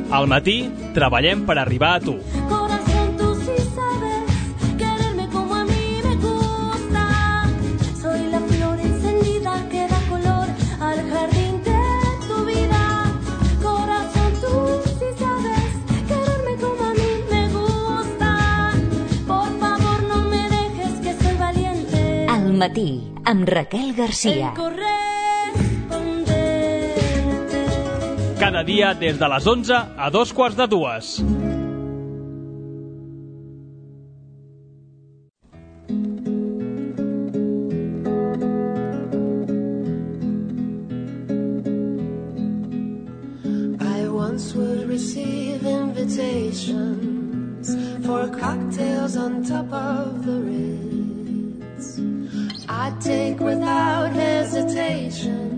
Al matí, treballem per arribar a tu. Corazón, tú sí sabes quererme como a mí me gusta. Soy la flor encendida que da color al jardín de tu vida. Corazón, tú sí sabes quererme como a mí me gusta. Por favor, no me dejes que soy valiente. Al matí, amb Raquel Garcia. Cada dia des de les 11 a 2:45. I once would receive invitations for cocktails on top of the Ritz. I'd take without hesitation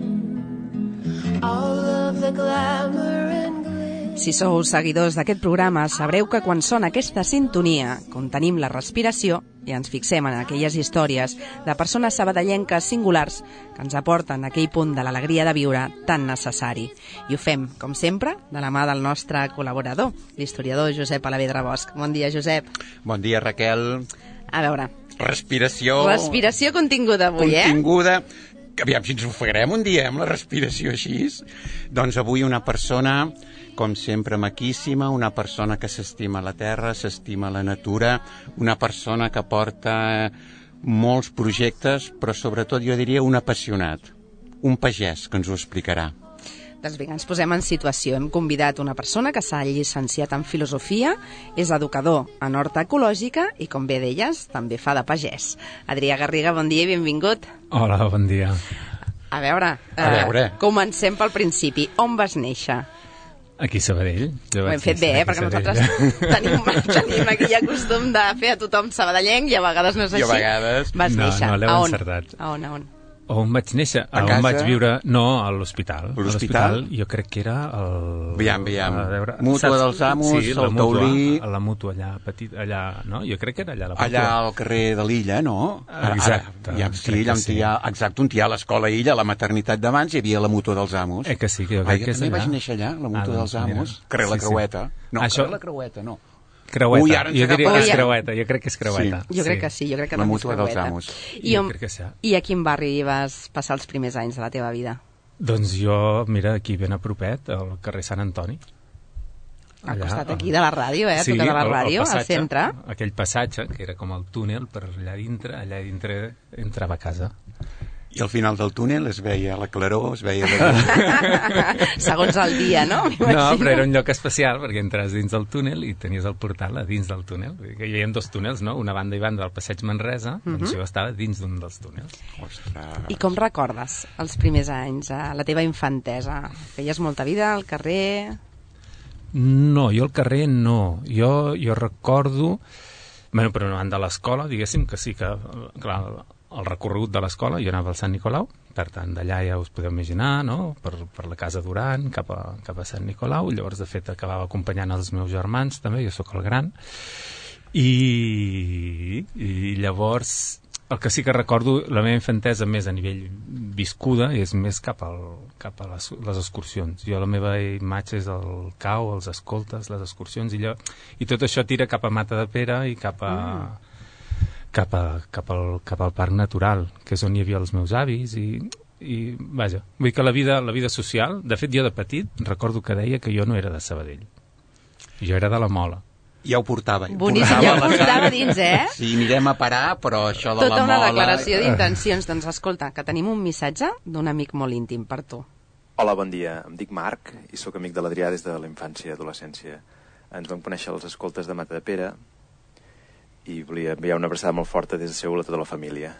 all of the glamour and glitz. Si sou seguidors d'aquest programa, sabreu que quan sona aquesta sintonia, contenim la respiració i ens fixem en aquelles històries de persones sabadellenques singulars que ens aporten aquell punt de l'alegria de viure tan necessari. I ho fem, com sempre, de la mà del nostre col·laborador, l'historiador Josep Alavedra Bosch. Bon dia, Josep. Bon dia, Raquel. A veure... Respiració continguda avui, continguda. Aviam si ens ofegarem un dia amb la respiració així. Doncs avui una persona, com sempre, maquíssima, una persona que s'estima la terra, s'estima la natura, una persona que porta molts projectes, però sobretot jo diria un apassionat, un pagès que ens ho explicarà. Doncs vinga, ens posem en situació. Hem convidat una persona que s'ha llicenciat en filosofia, és educador en horta ecològica i, com bé deies, també fa de pagès. Adrià Garriga, bon dia i benvingut. Hola, bon dia. A veure. Comencem pel principi. On vas néixer? Aquí a Sabadell. Ho hem fet bé, perquè nosaltres tenim aquell costum de fer a tothom sabadellenc i a vegades no és així. I a vegades... Vas néixer. No l'heu encertat. A on? On vaig néixer? On vaig viure? No, a l'hospital. L'hospital? Jo crec que era el... Aviam. Mútua dels Amos, sí, el Taulí... La Mútua allà, petit, allà, no? Jo crec que era allà la Mútua. Allà al carrer de l'Illa, no? Exacte. Exacte, on hi ha l'escola Illa, la maternitat d'abans, hi havia la Mútua dels Amos. Que sí, que jo crec que és allà. També vaig néixer allà, la Mútua dels Amos. Carrer la Creueta. No, carrer la Creueta, no. Creueta, jo diria que és Creueta, jo crec que és Creueta. Sí. Jo crec que sí, jo crec que la també és Mútua dels Amos. I a quin barri vas passar els primers anys de la teva vida? Doncs jo, mira, aquí ben a propet, al carrer Sant Antoni. Al costat aquí de la ràdio, sí, tota la ràdio, al centre. Aquell passatge, que era com el túnel, per allà dintre entrava a casa. I al final del túnel es veia la claror, es veia... Segons el dia, no? No, però era un lloc especial, perquè entres dins del túnel i tenies el portal a dins del túnel. Hi havia dos túnels, no? Una banda i banda del passeig Manresa, doncs jo estava dins d'un dels túnels. Ostres. I com recordes els primers anys, la teva infantesa? Feies molta vida al carrer? No, jo al carrer no. Jo recordo... Bueno, però anant de l'escola, diguéssim que sí que... Clar, el recorregut de l'escola, jo anava al Sant Nicolau, per tant, d'allà ja us podeu imaginar, no? Per la Casa Duran, cap a Sant Nicolau, llavors, de fet, acabava acompanyant els meus germans, també, jo sóc el gran, i llavors, el que sí que recordo, la meva infantesa més a nivell viscuda, és més cap a les excursions. Jo, la meva imatge és el cau, els escoltes, les excursions, i tot això tira cap a Mata de Pere i cap al parc natural, que és on hi havia els meus avis i vaja, vull dir que la vida social, de fet jo de petit recordo que deia que jo no era de Sabadell, jo era de la Mola. Ja ho portava. Boníssim, ja ho portava dins, Sí, anirem a parar, però això de tota la Mola... Tota una declaració d'intencions. Doncs escolta, que tenim un missatge d'un amic molt íntim per tu. Hola, bon dia. Em dic Marc i sóc amic de l'Adrià des de la infància i adolescència. Ens vam conèixer als escoltes de Mata de Pere i volia enviar una abraçada molt forta des de Seül a tota la família.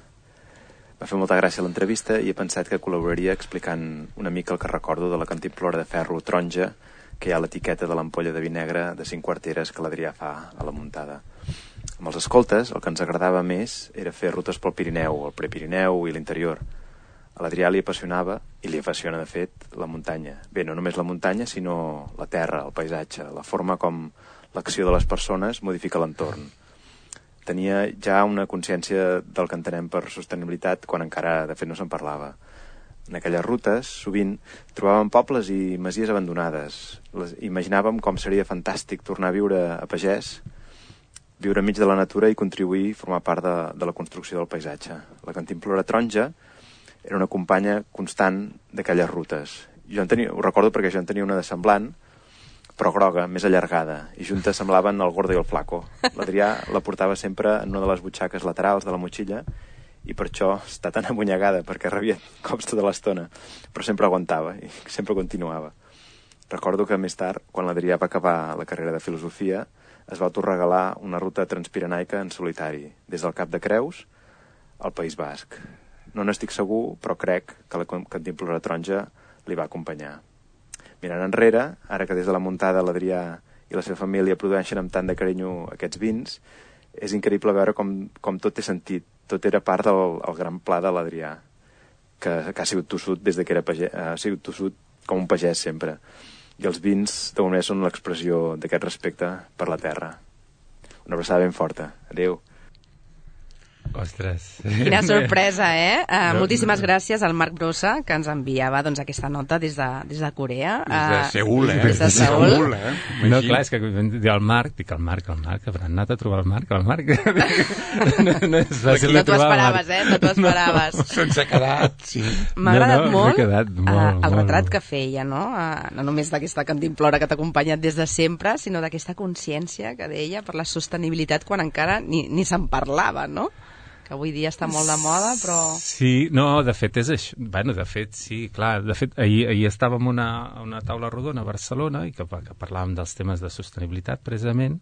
M'ha fet molta gràcia l'entrevista i he pensat que col·laboraria explicant una mica el que recordo de la cantimplora de ferro taronja que hi ha a l'etiqueta de l'ampolla de vi negre de 5 quarteres que l'Adrià fa a la muntada. Amb els escoltes, el que ens agradava més era fer rutes pel Pirineu, el Prepirineu i l'interior. A l'Adrià li apassionava, i li apassiona de fet, la muntanya. Bé, no només la muntanya, sinó la terra, el paisatge, la forma com l'acció de les persones modifica l'entorn. Tenia ja una consciència del que entenem per sostenibilitat quan encara, de fet, no se'n parlava. En aquelles rutes, sovint, trobàvem pobles i masies abandonades. Imaginàvem com seria fantàstic tornar a viure a pagès, viure enmig de la natura i contribuir i formar part de la construcció del paisatge. La cantimplora taronja era una companya constant d'aquelles rutes. Ho recordo perquè jo en tenia una de semblant, però groga, més allargada, i juntes semblaven el gordo i el flaco. L'Adrià la portava sempre en una de les butxaques laterals de la motxilla i per això està tan amunyegada, perquè rebia cops tota l'estona, però sempre aguantava i sempre continuava. Recordo que més tard, quan l'Adrià va acabar la carrera de filosofia, es va autorregalar una ruta transpirenaica en solitari, des del Cap de Creus al País Basc. No n'estic segur, però crec que la cantimplora taronja li va acompanyar. Mirant enrere, ara que des de la muntada l'Adrià i la seva família produeixen amb tant de carinyo aquests vins, és increïble veure com tot té sentit. Tot era part del gran pla de l'Adrià, que ha sigut tossut des que era pagès, ha sigut tossut com un pagès sempre. I els vins, de moment, són l'expressió d'aquest respecte per la terra. Una abraçada ben forta. Adéu. Ostres. Quina sorpresa, eh? Moltíssimes gràcies al Marc Brossa, que ens enviava aquesta nota des de Corea. Des de Seül, Des de Seül. No, clar, és que dic el Marc, que haurà anat a trobar el Marc. No és fàcil de trobar. No t'ho esperaves, no t'ho esperaves. Se'ns ha quedat, sí. M'ha agradat molt el retrat molt. que feia, no? No només d'aquesta cantimplora que t'ha acompanyat des de sempre, sinó d'aquesta consciència que deia per la sostenibilitat quan encara ni se'n parlava, no? Que avui dia està molt de moda, però... Sí, no, de fet és això. Bueno, de fet, sí, clar. De fet, ahir estàvem a una taula rodona a Barcelona i que parlàvem dels temes de sostenibilitat, precisament,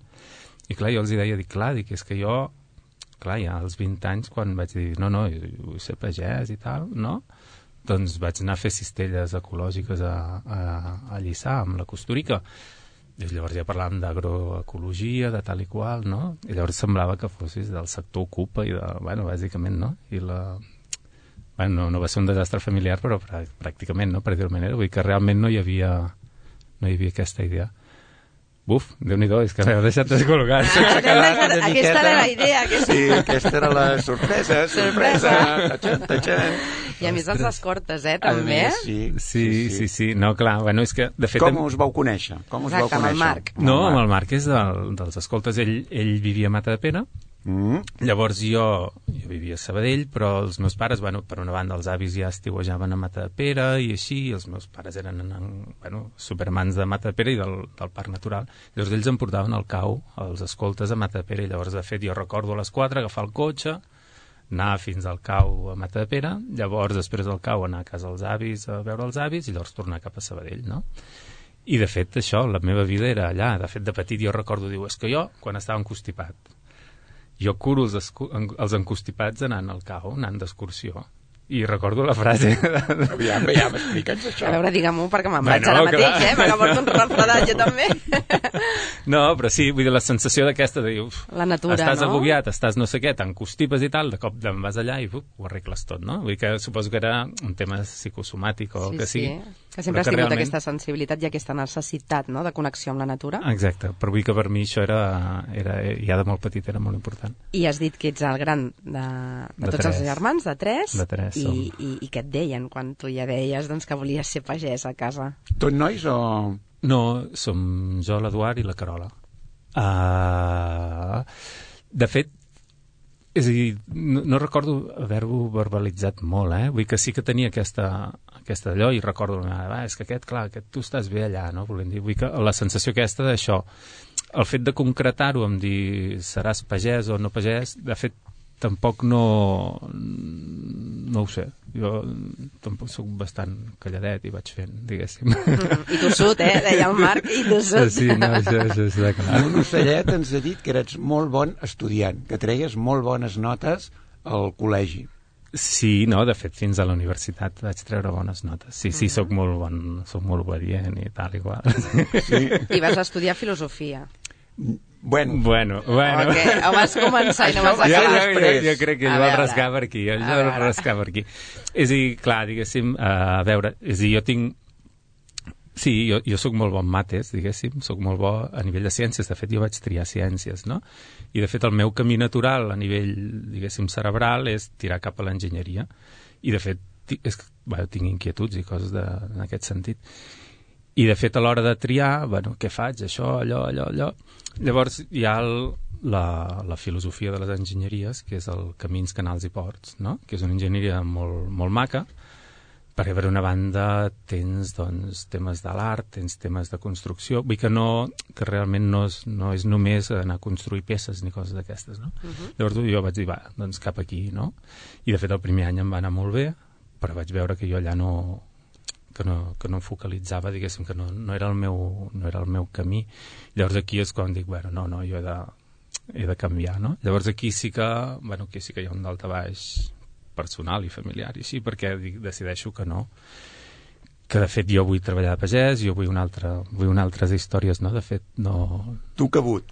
i clar, jo els deia, és que jo, clar, ja als 20 anys, quan vaig dir, no, vull ser pagès i tal, no? Doncs vaig anar a fer cistelles ecològiques a Lliçà, amb la Costurica. I llavors ja parlàvem d'agroecologia, de tal i qual, no? I llavors semblava que fossis del sector Ocupa i bàsicament, no? I no va ser un desastre familiar, però pràcticament, no? Per dir-ho manera. Vull dir que realment no hi havia aquesta idea. Buf, Déu-n'hi-do, és que m'heu deixat descol·locat. Aquesta era la idea. Sí, aquesta era la sorpresa. Tatxan. I a més els escortes, també. Sí. No, clar, bueno, és que, de fet... Com us vau conèixer? Exacte, amb el Marc. No, amb el Marc és dels escoltes. Ell vivia a Matadepera. Llavors jo vivia a Sabadell, però els meus pares, per una banda els avis ja estiuejaven a Matadepera i així, i els meus pares eren supermans de Matadepera i del Parc Natural. Llavors ells em portaven al cau, els escoltes a Matadepera, i llavors de fet jo recordo a les 4 agafar el cotxe, anar fins al cau a Matadepera, llavors després del cau anar a casa dels avis a veure els avis i llavors tornar cap a Sabadell, no? I de fet això, la meva vida era allà. De fet de petit jo recordo, és que jo quan estava encostipat jo curo els encostipats anant al cau, anant d'excursió. I recordo la frase... Aviam, explica'ns això. A veure, digue-m'ho, perquè me'n vaig ara mateix, perquè porto un refredat, jo també. No, però sí, vull dir, la sensació d'aquesta de dir, la natura, estàs no? Agobiat, estàs no sé què, t'encostipes i tal, de cop te'n vas allà i ho arregles tot, no? Vull dir que suposo que era un tema psicosomàtic o el que sigui. Que sempre has tingut aquesta sensibilitat i aquesta necessitat, no?, de connexió amb la natura. Exacte, però vull dir que per mi això era ja de molt petit, era molt important. I has dit que ets el gran de tots els germans, de tres. De tres. I què et deien quan tu ja deies que volies ser pagès a casa? Tot nois o...? No, som jo, l'Eduard i la Carola. De fet, és a dir, no recordo haver-ho verbalitzat molt, vull dir que sí que tenia aquesta d'allò i recordo és que aquest, tu estàs bé allà, no? Volem dir, vull dir que la sensació aquesta d'això, el fet de concretar-ho amb dir seràs pagès o no pagès, de fet tampoc no ho sé, jo tampoc soc bastant calladet i vaig fent, diguéssim. I tossut, deia el Marc, i tossut. Sí, no, això està clar. Un ocellet ens ha dit que eres molt bon estudiant, que treies molt bones notes al col·legi. Sí, no, de fet fins a la universitat vaig treure bones notes. Sí, soc molt obedient i tal i qual. Sí. I vas estudiar filosofia. Bueno. Okay. O vas començar i no vas acabar després. Jo crec que jo el rascar per aquí. És a dir, clar, diguéssim, a veure, és a dir, jo tinc... Sí, jo soc molt bon mates, diguéssim, soc molt bo a nivell de ciències. De fet, jo vaig triar ciències, no? I, de fet, el meu camí natural a nivell, diguéssim, cerebral és tirar cap a l'enginyeria. I, de fet, tinc inquietuds i coses en aquest sentit. I de fet a l'hora de triar, què faig? Això, allò. Llavors hi ha la filosofia de les enginyeries, que és el camins, canals i ports, no? Que és una enginyeria molt, molt maca, perquè per una banda tens temes de l'art, tens temes de construcció, vull que realment no és només anar a construir peces ni coses d'aquestes, no? Llavors jo vaig dir, doncs cap aquí, no? I de fet el primer any em va anar molt bé, però vaig veure que jo allà que no em focalitzava, diguéssim, que no era el meu camí. Llavors aquí és quan dic, no, jo he de canviar, no? Llavors aquí sí que hi ha un daltabaix personal i familiar i així, perquè decideixo que no, que de fet jo vull treballar de pagès, jo vull altres històries, no? De fet, no... Tu cabut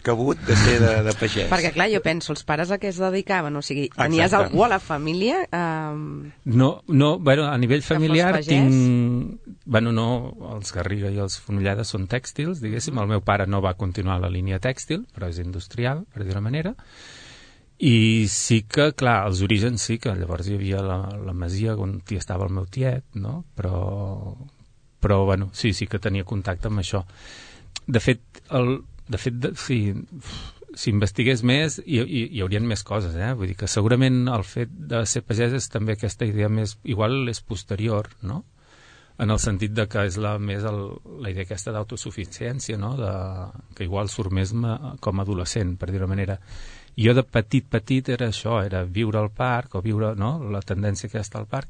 de ser de pagès. Perquè clar, jo penso, els pares a què es dedicaven? O sigui, tenies algú a la família? No, a nivell familiar tinc... no, els Garriga i els Fonollada són tèxtils, diguéssim, el meu pare no va continuar la línia tèxtil, però és industrial, per dir-ho manera, i sí que, clar, els orígens sí que llavors hi havia la masia on hi estava el meu tiet, no? Però sí que tenia contacte amb això. De fet, si investigués més hi haurien més coses, vull dir que segurament el fet de ser pagès és també aquesta idea més, igual és posterior, no? En el sentit de que és més la idea aquesta d'autosuficiència, no? Que igual surt més com a adolescent, per dir-ho manera. Jo de petit era això, era viure al parc o viure, no?, la tendència aquesta al parc,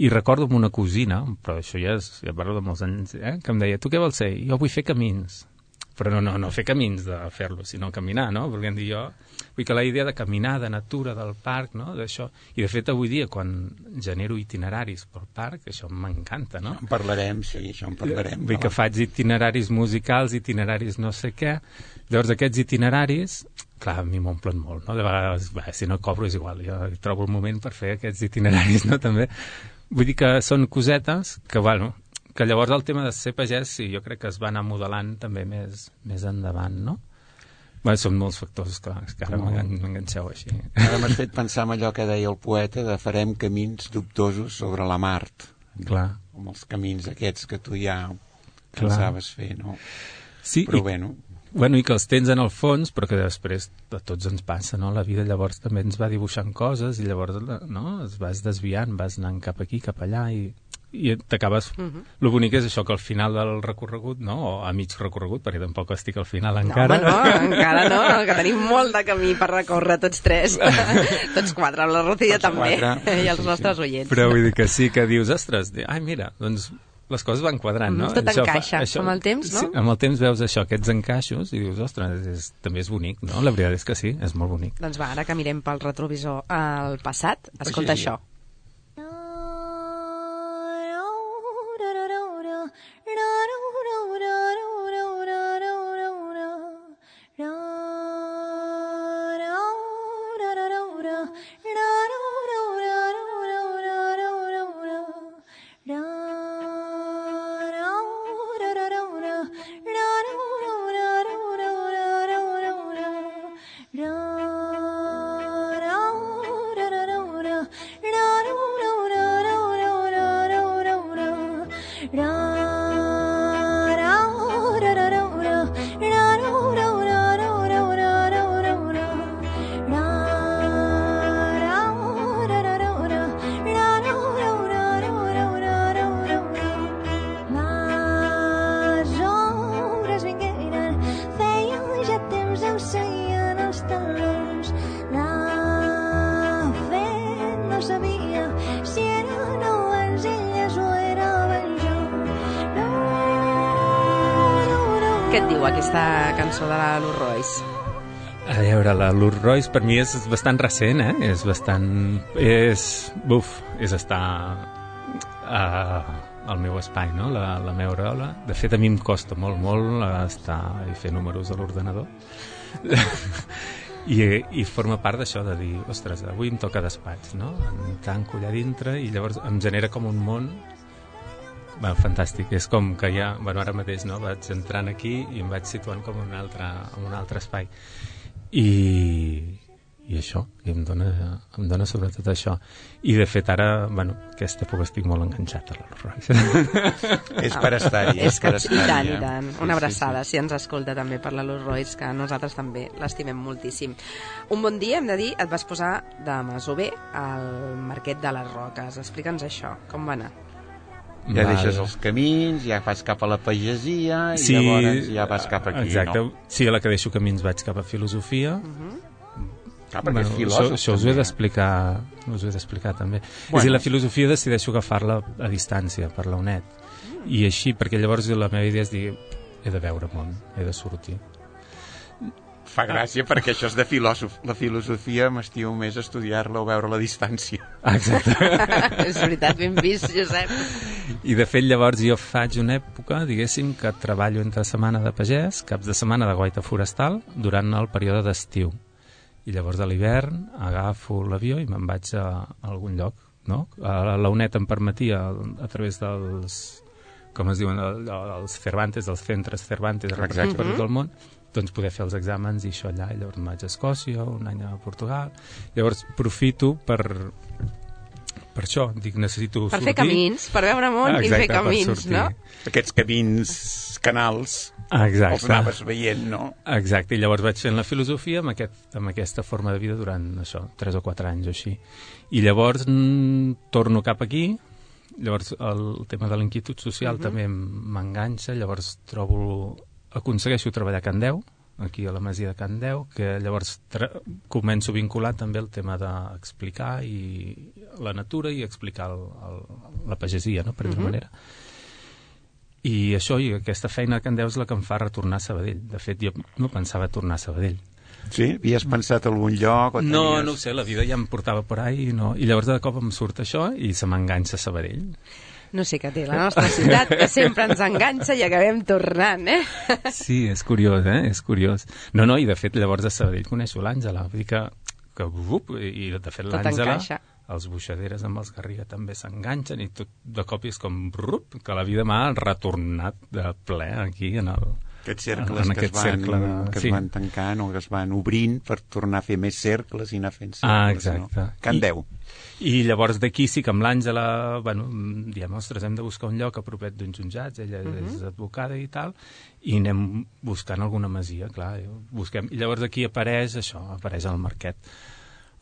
i recordo amb una cosina, però això ja parlo de molts anys, que em deia, tu què vols ser? Jo vull fer camins, però no fer camins de fer-lo, sinó caminar, no? Perquè em dic jo, vull que la idea de caminar, de natura, del parc, no?, d'això, i de fet avui dia quan genero itineraris pel parc, això m'encanta, no? En parlarem, sí, això en parlarem. Vull que faig itineraris musicals, itineraris no sé què, llavors aquests itineraris, clar, a mi m'omplen molt, no? De vegades, si no cobro és igual, jo trobo el moment per fer aquests itineraris, no? També. Vull dir que són cosetes que, que llavors el tema de ser pagès, sí, jo crec que es va anar modelant també més endavant, no? Són molts factors, clar, que ara m'enganxeu així. Ara m'has fet pensar en allò que deia el poeta de farem camins dubtosos sobre la Mart. Clar. Com els camins aquests que tu ja pensaves fer, no? Sí, però i que els tens en el fons, però que després a tots ens passa, no? La vida llavors també ens va dibuixant coses i llavors, no?, es vas desviant, vas anant cap aquí, cap allà i t'acabes... Lo bonic és això, que al final del recorregut, no?, o a mig recorregut, perquè tampoc estic al final encara. No, encara no, que tenim molt de camí per recórrer tots tres, tots quatre, amb la Rocío també, i els nostres oients. Però vull dir que sí, que dius, ostres, mira, doncs les coses van quadrant, no? Tot encaixa, amb el temps, no? Sí, amb el temps veus això, aquests encaixos, i dius, ostres, també és bonic, no? La veritat és que sí, és molt bonic. Doncs ara que mirem pel retrovisor al passat, escolta això. Què et diu aquesta cançó de la Lourdes Royce? A veure, la Lourdes Royce per mi és bastant recent, és bastant... És estar al meu espai, no? La meva aureola. De fet, a mi em costa molt estar i fer números a l'ordenador. I forma part d'això, de dir, ostres, avui em toca despatx, no? Em tanco allà dintre i llavors em genera com un món fantàstic. És com que ja, ara mateix, no? Vaig entrant aquí i em vaig situant com en un altre espai. I i això, i em dona sobretot això. I de fet ara, bueno, aquesta època estic molt enganxat a l'Arròs Royce. És per estar-hi, És que, per estar-hi. i tant. Una abraçada, si ens escolta també per la Luz Royce, que nosaltres també l'estimem moltíssim. Un bon dia, hem de dir, et vas posar de masover al Marquet de les Roques. Explica'ns això, com va anar? Ja deixes els camins, ja vas cap a la pagesia i llavors ja vas cap aquí, exacte. no? Sí, a la que deixo camins vaig cap a filosofia. Clar, perquè és filòsof. Això us ho he d'explicar també. És a dir, la filosofia decideixo agafar-la a distància per la UNED. I així, perquè llavors la meva idea és dir, he de veure món, he de sortir. Fa gràcia perquè això és de filòsof. La filosofia m'estimo més estudiar-la o veure-la a distància. Exacte. És veritat, ben vist, Josep. I de fet llavors jo faig una època, diguéssim, que treballo entre setmana de pagès, caps de setmana de guaita forestal, durant el període d'estiu. I llavors a l'hivern agafo l'avió i me'n vaig a algun lloc, no? La UNED em permetia, a través dels, com es diuen, els Cervantes, dels centres Cervantes repartits per tot el món, doncs poder fer els exàmens i això allà. I llavors em vaig a Escòcia, un any a Portugal. Llavors aprofito per això, dic, necessito sortir. Per fer camins, per veure món i fer camins, no? Aquests camins, canals, exacte. els anaves veient, no? Exacte, i llavors vaig fent la filosofia amb aquesta forma de vida durant això, 3 o 4 anys o així. I llavors torno cap aquí, llavors el tema de l'inquietud social també m'enganxa, llavors aconsegueixo treballar a Can Deu, aquí a la masia de Can Deu, que llavors començo a vincular també el tema d'explicar la natura i explicar la pagesia, no? Per dir-ho manera. I això, i aquesta feina a Can Deu és la que em fa retornar a Sabadell. De fet, jo no pensava tornar a Sabadell. Sí? Havies pensat algun lloc? O no ho sé, la vida ja em portava por ahí i llavors de cop em surt això i se m'enganxa a Sabadell. No sé què té la nostra ciutat, que sempre ens enganxa i acabem tornant, Sí, és curiós, És curiós. No, i de fet, llavors a Sabadell coneixo l'Àngela, vull dir que i de fet l'Àngela, els Buixaderes amb els Garriga també s'enganxen i tot de cop és com que la vida m'ha retornat de ple aquí en aquests cercles que es van tancant o que es van obrint per tornar a fer més cercles i anar fent cercles. Exacte. No? Can Deu. I llavors d'aquí sí que amb l'Àngela, diem, ostres, hem de buscar un lloc a propet d'uns jutjats, ella és advocada i tal, i anem buscant alguna masia, clar, busquem. I llavors aquí apareix el Marquet.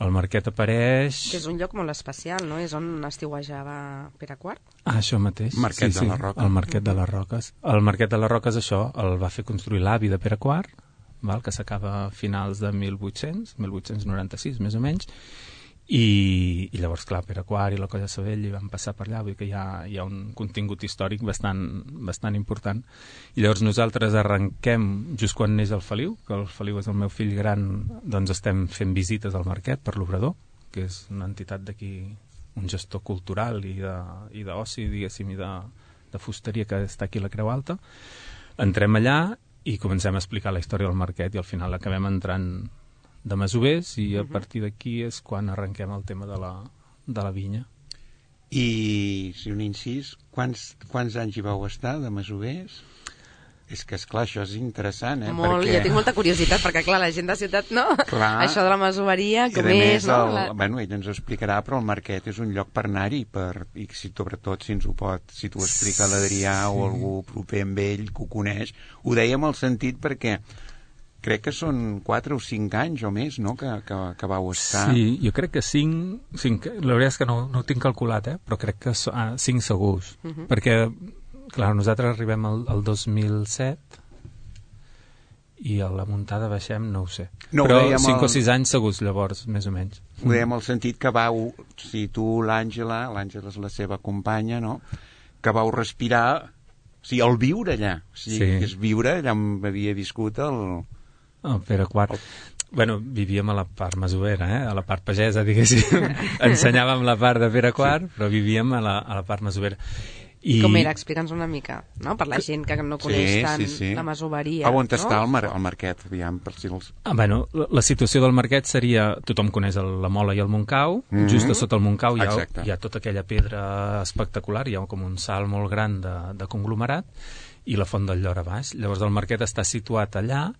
El Marquet apareix... Que és un lloc molt especial, no? És on estiuejava Pere IV. Això mateix. Marquet de les Roques. El Marquet de les Roques. El Marquet de les Roques, això, el va fer construir l'avi de Pere IV, que s'acaba a finals de 1896, més o menys, i llavors, clar, Pere IV i la Colla Sabell hi van passar per allà, vull dir que hi ha un contingut històric bastant important. I llavors nosaltres arrenquem just quan neix el Feliu, que el Feliu és el meu fill gran, doncs estem fent visites al Marquet per l'Obrador, que és una entitat d'aquí, un gestor cultural i d'oci, diguéssim, i de fusteria que està aquí a la Creu Alta. Entrem allà i comencem a explicar la història del Marquet i al final acabem entrant de masovers i a partir d'aquí és quan arrenquem el tema de la vinya. I, si un incís, quants anys hi vau estar de masovers? És que, esclar, això és interessant, Molt, jo tinc molta curiositat, perquè, clar, la gent de ciutat, no? Clar. Això de la masoveria, com és, no? Bueno, ell ens ho explicarà, però el Marquet és un lloc per anar-hi, i sobretot, si t'ho explica l'Adrià o algú proper amb ell, que ho coneix, ho dèiem al sentit perquè crec que són 4 o 5 anys o més, no?, que vau estar. Sí, jo crec que 5, la veritat és que no ho tinc calculat, però crec que 5 segurs, perquè, clar, nosaltres arribem al 2007 i a la muntada baixem, no ho sé, però 5 o 6 anys segurs llavors, més o menys. Ho dèiem al sentit que vau, si tu, l'Àngela és la seva companya, no?, que vau respirar, o sigui, el viure allà, és viure allà on havia viscut el Pere IV. Bueno, vivíem a la part masovera, a la part pagesa, diguéssim. Ensenyàvem la part de Pere IV, però vivíem a la part masovera. Com era? Explica'ns una mica, no? Per la gent que no coneix tant la masoveria. On està el Marquet? Bueno, la situació del Marquet seria, tothom coneix la Mola i el Montcau, just a sota el Montcau hi ha tota aquella pedra espectacular, hi ha com un salt molt gran de conglomerat, i la Font del Llor a baix. Llavors el Marquet està situat allà,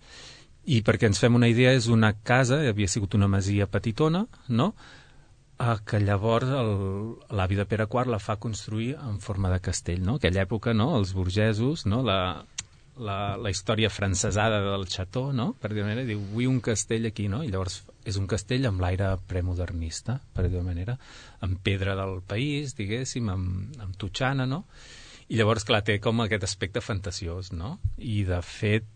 I perquè ens fem una idea, és una casa, havia sigut una masia petitona, no?, que llavors l'avi de Pere IV la fa construir en forma de castell, no? Aquella època, no?, els burgesos, no?, la història francesada del xató, no?, per dir-ho manera, diu, vull un castell aquí, no?, i llavors és un castell amb l'aire premodernista, per dir-ho manera, amb pedra del país, diguéssim, amb totxana, no?, i llavors, clar, té com aquest aspecte fantasiós, no?, i de fet,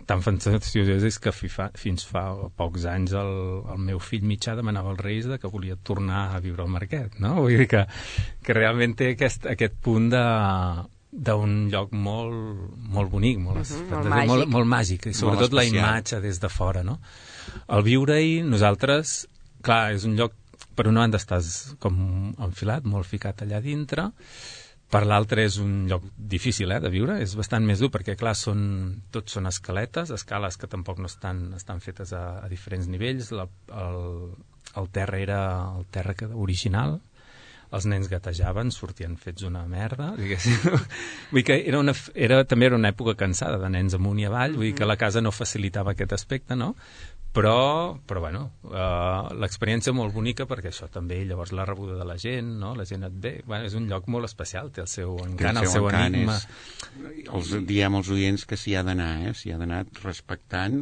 tan fantasiós és que fins fa pocs anys el meu fill mitjà demanava als Reis que volia tornar a viure al Marquet, no?, vull dir que realment té aquest punt d'un lloc molt bonic, molt màgic, i sobretot la imatge des de fora, no? Al viure-hi, nosaltres, clar, és un lloc, per una banda estàs com enfilat, molt ficat allà dintre, per l'altre és un lloc difícil de viure, és bastant més dur perquè, clar, tots són escales que tampoc no estan fetes a diferents nivells, el terra era el terra original, els nens gatejaven, sortien fets una merda, diguéssim. Vull dir que també era una època cansada de nens amunt i avall, vull dir que la casa no facilitava aquest aspecte, no? Però bueno, l'experiència molt bonica perquè això també, llavors la rebuda de la gent, no? La gent et ve, bueno, és un lloc molt especial, té el seu encant, el seu enigma. Diem als oients que s'hi ha d'anar, s'hi ha d'anar respectant,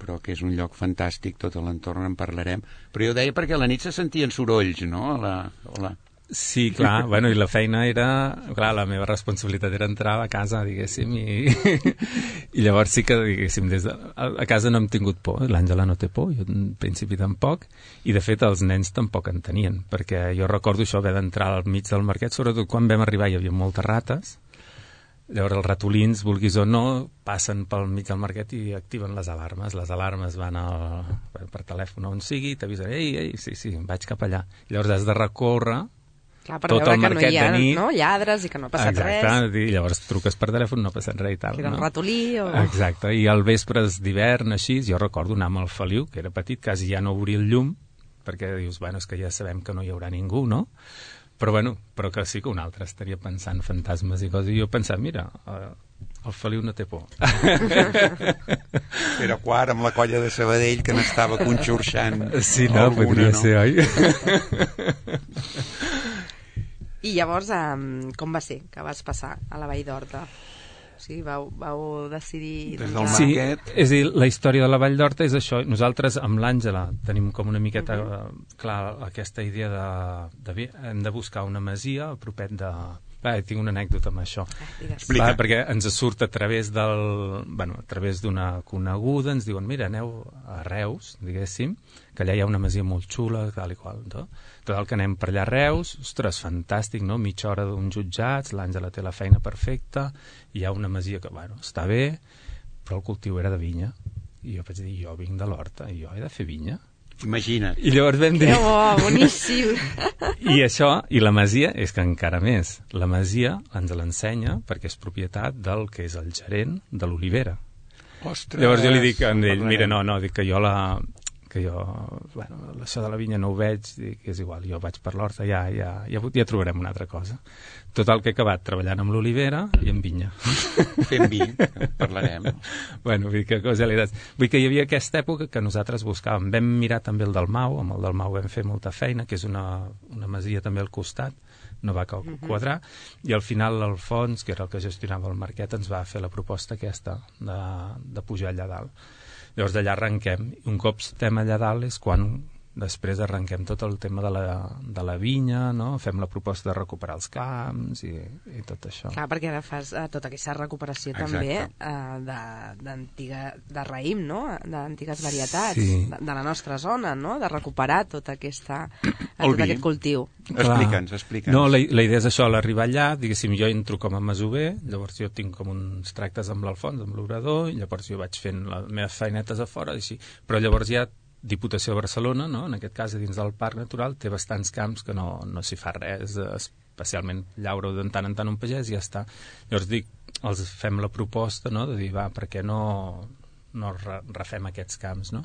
però que és un lloc fantàstic, tot l'entorn en parlarem. Però jo deia perquè a la nit se sentien sorolls, no? Sí, clar, bueno, i la feina era... Clar, la meva responsabilitat era entrar a casa, diguéssim, i llavors sí que, diguéssim, a casa no hem tingut por, l'Àngela no té por, jo en principi tampoc, i de fet els nens tampoc en tenien, perquè jo recordo això, haver d'entrar al mig del marquet, sobretot quan vam arribar hi havia moltes rates, llavors els ratolins, vulguis o no, passen pel mig del marquet i activen les alarmes van per telèfon on sigui, t'avisen, ei, sí, vaig cap allà, llavors has de recórrer. Clar, per veure que no hi ha lladres i que no ha passat res. Exacte, i llavors truques per telèfon, no ha passat res i tal. Que era un ratolí o... Exacte, i al vespres d'hivern, així, jo recordo anar amb el Feliu, que era petit, quasi ja no obrir el llum, perquè dius, bueno, és que ja sabem que no hi haurà ningú, no? Però que sí que un altre estaria pensant fantasmes i coses, i jo pensava, mira, el Feliu no té por. Era quart amb la colla de Sabadell que n'estava conxorxant. Sí, no, podria ser, oi? I llavors, com va ser que vas passar a la Vall d'Horta? Sí, vau decidir... Sí, és a dir, la història de la Vall d'Horta és això. Nosaltres, amb l'Àngela, tenim com una miqueta clar aquesta idea de hem de buscar una masia a propet de... tinc una anècdota amb això. Perquè ens surt a través d'una coneguda, ens diuen, mira, aneu a Reus, diguéssim, que allà hi ha una masia molt xula, tal i qual, no? Total, que anem per allà a Reus, ostres, fantàstic, no? Mitja hora d'uns jutjats, l'Àngela té la feina perfecta, hi ha una masia que, bueno, està bé, però el cultiu era de vinya. I jo vaig dir, jo vinc de l'Horta, i jo he de fer vinya. Imagina't. I llavors vam dir... boníssim! I això, i la masia, és que encara més, la masia ens l'ensenya perquè és propietat del que és el gerent de l'Olivera. Ostres! Llavors jo li dic a ell, mira, no, dic que jo això de la vinya no ho veig, dic, és igual, jo vaig per l'Horta, ja trobarem una altra cosa. Total, que he acabat treballant amb l'Olivera i amb vinya. Fent vi, parlarem. Bueno, vull dir que casualitats. Vull dir que hi havia aquesta època que nosaltres buscàvem. Vam mirar també el Dalmau, amb el Dalmau vam fer molta feina, que és una masia també al costat, no va quadrar, i al final l'Alfons, que era el que gestionava el Marquet, ens va fer la proposta aquesta de pujar allà dalt. Llavors d'allà arrenquem, i un cop estem allà dalt és quan després arrenquem tot el tema de la vinya, no? Fem la proposta de recuperar els camps i tot això. Clar, perquè ara fas tota aquesta recuperació també de raïm, no? D'antigues varietats, de la nostra zona, no? De recuperar tot aquest cultiu. Explica'ns. No, la idea és això, l'arribar allà, diguéssim, jo entro com a masover, llavors jo tinc com uns tractes amb l'Alfons, amb l'obrador, i llavors jo vaig fent les meves feinetes a fora, així. Però llavors ja Diputació de Barcelona, no? En aquest cas dins del Parc Natural, té bastants camps que no s'hi fa res, especialment llaura de tant en tant un pagès i ja està. Llavors els fem la proposta, no? De dir, per què no refem aquests camps, no?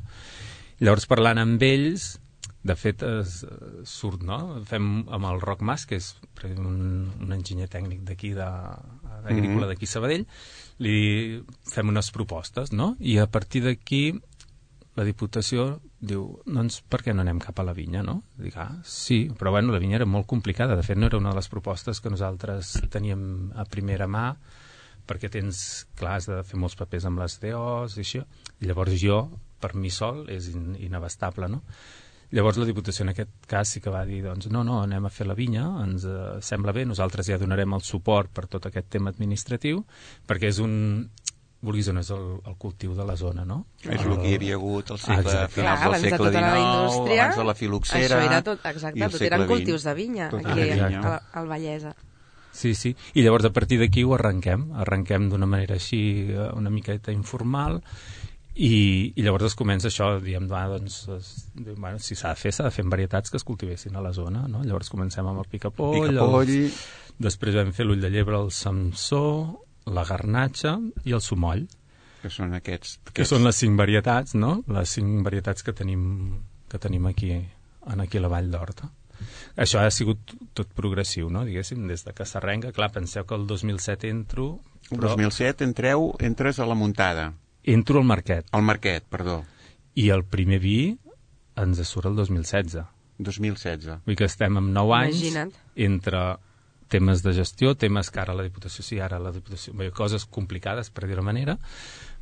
Llavors parlant amb ells De fet, surt, no? Fem amb el Roc Mas, que és un enginyer tècnic d'aquí, d'agrícola d'aquí Sabadell, li fem unes propostes, no? I a partir d'aquí la Diputació diu, doncs per què no anem cap a la vinya, no? Dic, sí, però bueno, la vinya era molt complicada, de fet no era una de les propostes que nosaltres teníem a primera mà, perquè has de fer molts papers amb les DOs i això, i llavors jo, per mi sol, és inabastable, no? Llavors la Diputació en aquest cas sí que va dir, doncs no, anem a fer la vinya, ens sembla bé, nosaltres ja donarem el suport per tot aquest tema administratiu, perquè és vulguis o no, és el cultiu de la zona, no? És el que hi havia hagut al segle, finals del segle XIX, abans de la filoxera. Això era tot, exacte, tot eren cultius de vinya, aquí al Vallès. Sí, i llavors a partir d'aquí ho arrenquem d'una manera així una miqueta informal, i llavors es comença això, diem, si s'ha de fer amb varietats que es cultivessin a la zona, no? Llavors comencem amb el picapoll, després vam fer l'ull de llebre, el samsó, la garnatxa i el sumoll. Que són aquests... Que són les 5 varietats, no? Les 5 varietats que tenim aquí a la Vall d'Horta. Això ha sigut tot progressiu, no? Diguéssim, des de que s'arrenca. Clar, penseu que el 2007 entro... El 2007 entres a la muntada. Entro al Marquet. Al Marquet, perdó. I el primer vi ens surt el 2016. 2016. Vull que estem amb 9 anys. Imagina't. Entre temes de gestió, temes que ara la Diputació, coses complicades, per dir-ho manera,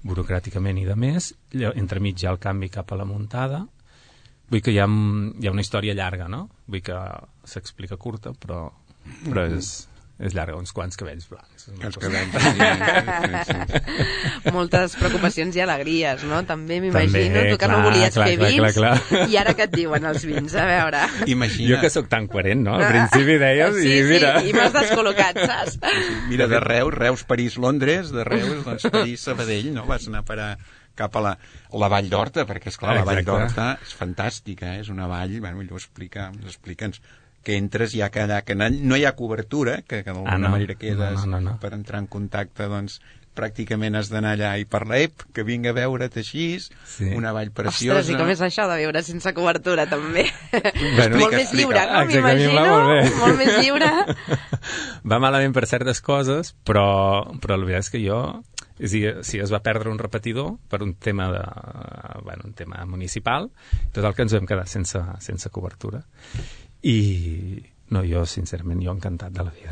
burocràticament i de més, entremig hi ha el canvi cap a la muntada. Vull que hi ha una història llarga, no? Vull que s'explica curta, però és llarga, uns quants cabells blancs. Moltes preocupacions i alegries, no? També m'imagino, tu que no volies fer vins, i ara que et diuen els vins, a veure... Jo que sóc tan coherent, no? Al principi deies, i mira... Sí, i m'has descol·locat, saps? Mira, de Reus, París, Londres, de Reus, doncs París, Sabadell, no? Vas anar a parar cap a la Vall d'Horta, perquè, esclar, la Vall d'Horta és fantàstica, és una vall, millor explica'ns, que entres ja que allà, que no hi ha cobertura, que d'alguna manera quedes per entrar en contacte, doncs pràcticament has d'anar allà i per que vinga a veure't així, una vall preciosa. Ostres, i com és això de viure sense cobertura, també? Molt més lliure, no? M'imagino, molt més lliure. Va malament per certes coses, però la veritat és que jo... Si es va perdre un repetidor per un tema municipal, tot el que ens vam quedar sense cobertura. I no, jo sincerament encantat de la vida.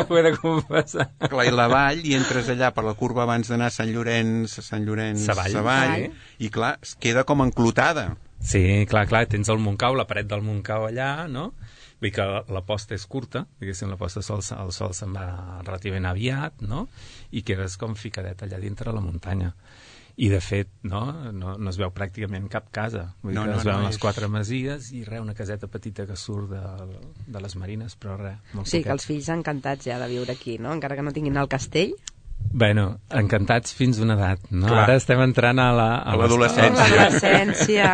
Ho he de confessar. Clar, i la vall, i entres allà per la curva abans d'anar a Sant Llorenç Savall, i clar, es queda com enclotada. Sí, clar, tens el Montcau, la paret del Montcau allà, no? Vull que la posta és curta, diguéssim, la posta el sol se'n va relativament aviat, no? I quedes com ficadet allà dintre la muntanya. I de fet no es veu pràcticament cap casa, vull dir que es veuen les 4 masies i una caseta petita que surt de les Marines, però molt sí, que els fills encantats ja de viure aquí, no? Encara que no tinguin el castell. Bueno, encantats fins a una edat, no? Clar. Ara estem entrant a l'adolescència.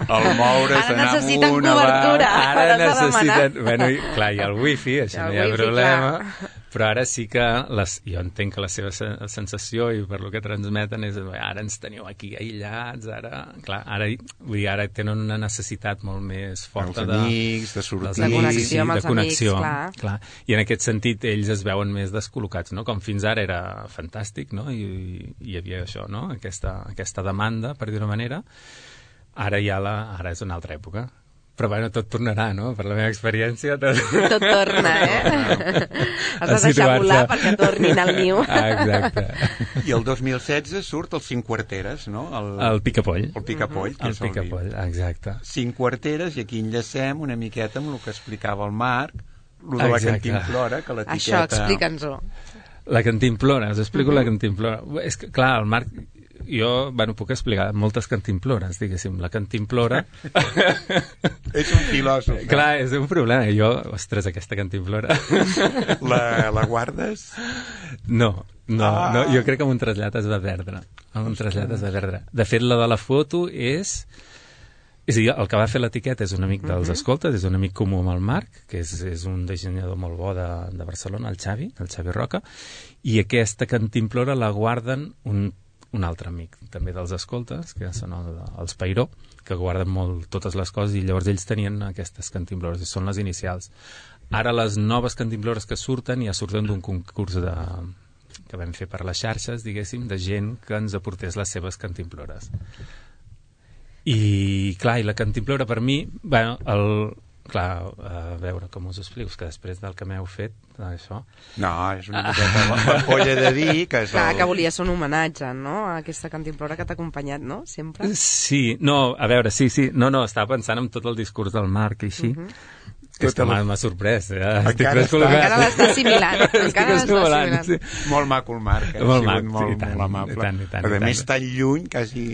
El moure's, anar amunt, cobertura. Ara necessiten... Bueno, clar, hi ha el wifi, això no hi ha problema. Clar. Però ara sí que jo entenc que la seva sensació i per lo que transmeten és ara ens teniu aquí aïllats, ara tenen una necessitat molt més forta amics, de sortir, de connexió amb els amics, clar. I en aquest sentit ells es veuen més descol·locats, no? Com fins ara era fantàstic, no? I hi havia això, no? Aquesta demanda, per dir-ho manera. Ara és una altra època. Però bueno, tot tornarà, no? Per la meva experiència tot torna, Has de deixar volar perquè tornin al niu. Exacte. I el 2016 surt els 5 quarteres, no? El picapoll. El picapoll, que és el picapoll, exacte. 5 quarteres, i aquí enllacem una miqueta amb el que explicava el Marc, el de la cantimplora, que l'etiqueta... Això, explica'ns-ho. La cantimplora, us explico la cantimplora. És que, clar, el Marc... Jo, puc explicar moltes cantimplores, diguéssim. La cantimplora... És un filòsof. Clar, és un problema. Jo, ostres, aquesta cantimplora... La guardes? No, jo crec que amb un trasllat es va perdre. De fet, la de la foto és a dir, el que va fer l'etiqueta és un amic dels escoltes, és un amic comú amb el Marc, que és un dissenyador molt bo de Barcelona, el Xavi Roca, i aquesta cantimplora la guarden un altre amic també dels escoltes, que són els Peiró, que guarden molt totes les coses, i llavors ells tenien aquestes cantimplores, i són les inicials. Ara les noves cantimplores que surten ja surten d'un concurs que vam fer per les xarxes, diguéssim, de gent que ens aportés les seves cantimplores. I clar, i la cantimplora per mi, bueno, clar, a veure com us explico, que després del que m'heu fet, això... No, és una miqueta l'ampolla de vi, que és Clar, que volia ser un homenatge, no?, a aquesta cantimplora que t'ha acompanyat, no?, sempre. Sí, no, a veure, sí, no, estava pensant en tot el discurs del Marc i així, que és que m'ha sorprès, encara l'està assimilant, sí. Molt maco el Marc, molt maco, molt amable, però a més tan lluny, quasi...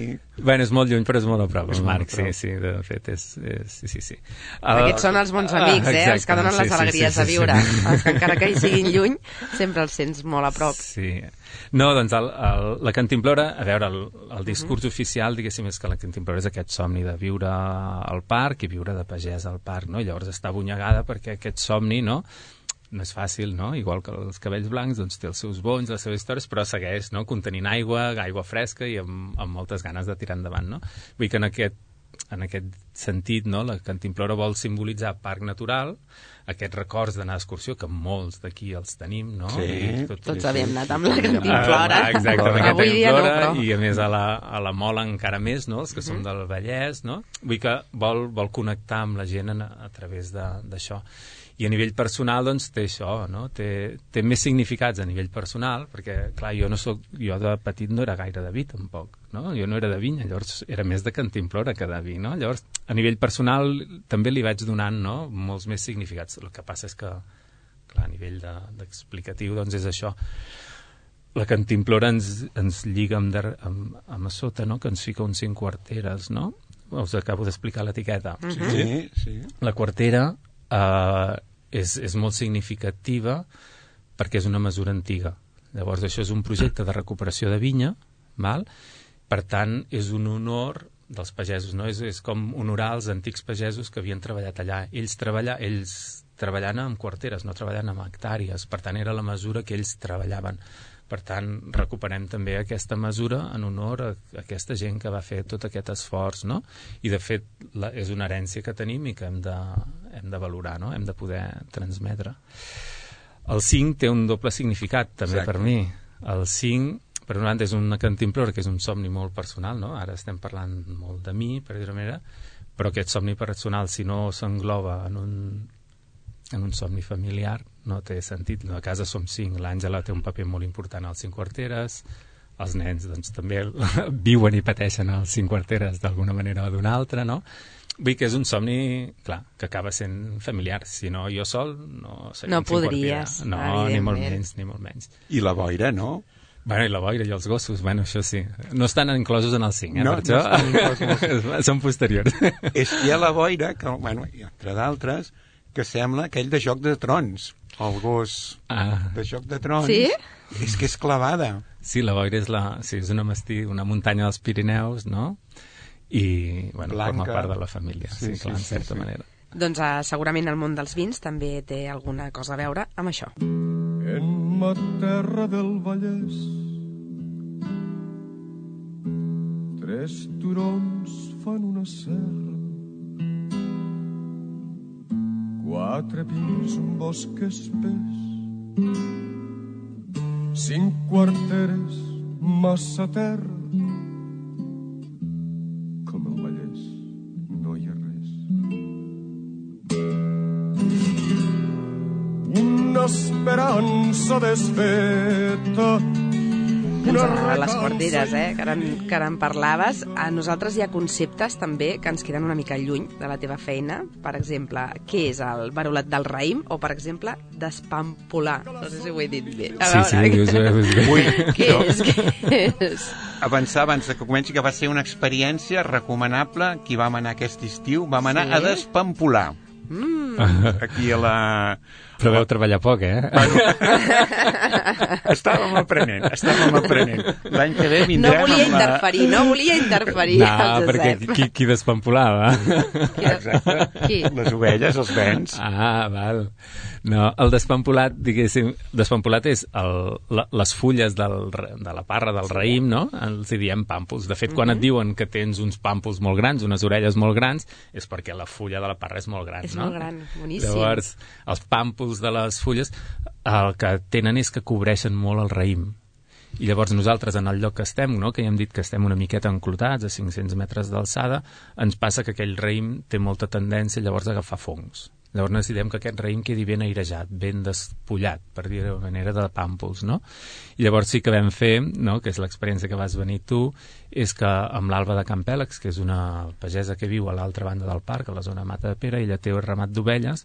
Bueno, és molt lluny, però és molt a prop, el Marc, sí, de fet, sí. Aquests són els bons amics, els que donen les alegries de viure, els que encara que hi siguin lluny, sempre els sents molt a prop. Sí. No, doncs la cantimplora, a veure, el discurs oficial, diguéssim, és que la cantimplora és aquest somni de viure al parc i viure de pagès al parc, no? I llavors està abonyegada perquè aquest somni, no és fàcil, no? Igual que els cabells blancs, doncs té els seus bonys, les seves històries, però segueix, no?, contenint aigua fresca i amb moltes ganes de tirar endavant, no? Vull que en aquest sentit, no?, la cantimplora vol simbolitzar parc natural, aquests records d'anar d'excursió, que molts d'aquí els tenim, no? Sí. Tots havíem anat amb la cantimplora. Exacte, amb aquesta Avui dia no, però... I a més a la Mola encara més, no?, els que som del Vallès, no? Vull que vol connectar amb la gent a través d'això. I a nivell personal, doncs, té això, no? Té més significats a nivell personal, perquè, clar, jo de petit no era gaire de vi, tampoc, no? Jo no era de vinya, llavors era més de cantimplora que de vi, no? Llavors, a nivell personal, també li vaig donant, no?, molts més significats. El que passa és que, clar, a nivell d'explicatiu, doncs és això. La cantimplora ens lliga amb a sota, no?, que ens fica uns 5 quarteres, no? Us acabo d'explicar l'etiqueta. Sí. La quartera és molt significativa perquè és una mesura antiga. Llavors, això és un projecte de recuperació de vinya, val? Per tant, és un honor dels pagesos, no? És com honorar els antics pagesos que havien treballat allà. Ells treballant amb quarteres, no treballant amb hectàrees. Per tant, era la mesura que ells treballaven. Per tant, recuperem també aquesta mesura en honor a aquesta gent que va fer tot aquest esforç, no? I, de fet, és una herència que tenim i que hem de valorar, no? Hem de poder transmetre. El 5 té un doble significat, també. Exacte. Per mi. El 5, per una banda, és una cantimplora, que és un somni molt personal, no? Ara estem parlant molt de mi, per dir-ho manera, però aquest somni personal, si no s'engloba en un somni familiar, no té sentit. A casa som 5, l'Àngela té un paper molt important als 5 quarteres, els nens doncs, també viuen i pateixen als 5 quarteres d'alguna manera o d'una altra, no? Vull que és un somni, clar, que acaba sent familiar. Si no, jo sol no seria no podries, no, ni molt menys. I la boira, no? Bueno, i la boira i els gossos, bueno, això sí. No estan inclosos en el 5, no, per això. No estan inclosos. Són posteriors. És que hi ha la boira, que, bueno, entre d'altres, que sembla aquell de Joc de Trons, el gos de Joc de Trons. Sí? És que és clavada. Sí, la boira és una muntanya dels Pirineus, no? I, bueno, forma part de la família, sí, clar, en certa manera. Doncs segurament el món dels vins també té alguna cosa a veure amb això. En ma terra del Vallès 3 turons fan una serra, 4 pins, un bosc espès, 5 quarteres, massa terra. Com el Vallès no hi ha res. Una esperança desfeta. Ens agraden les quarteres, que ara en parlaves. A nosaltres hi ha conceptes també que ens queden una mica lluny de la teva feina. Per exemple, què és el verolat del raïm? O, per exemple, despampolar. No sé si ho he dit bé. Què és? Avançar abans que comenci, que va ser una experiència recomanable. Qui vam anar aquest estiu, vam anar a despampolar. Aquí a Però veu treballar poc, Estàvem aprenent. L'any que ve vindrem no volia interferir No, el perquè Josep. qui despampolava? Exacte. Qui? Les ovelles, els bens. Val. No, el despampolat, diguéssim, despampolat és les fulles de la parra del raïm, no? Els hi diem pàmpols. De fet, quan et diuen que tens uns pàmpols molt grans, unes orelles molt grans, és perquè la fulla de la parra és molt gran, És no? molt gran, boníssim. Llavors, els pàmpols de les fulles el que tenen és que cobreixen molt el raïm. I llavors nosaltres, en el lloc que estem, no? Que ja hem dit que estem una miqueta enclotats, a 500 metres d'alçada, ens passa que aquell raïm té molta tendència llavors a agafar fongs. Llavors necessitem que aquest raïm quedi ben airejat, ben despullat, per dir-ho de manera de pàmpols, no? I llavors sí que vam fer, no?, que és l'experiència que vas venir tu, és que amb l'Alba de Campèlex, que és una pagesa que viu a l'altra banda del parc, a la zona de Mata de Pere, ella té un ramat d'ovelles,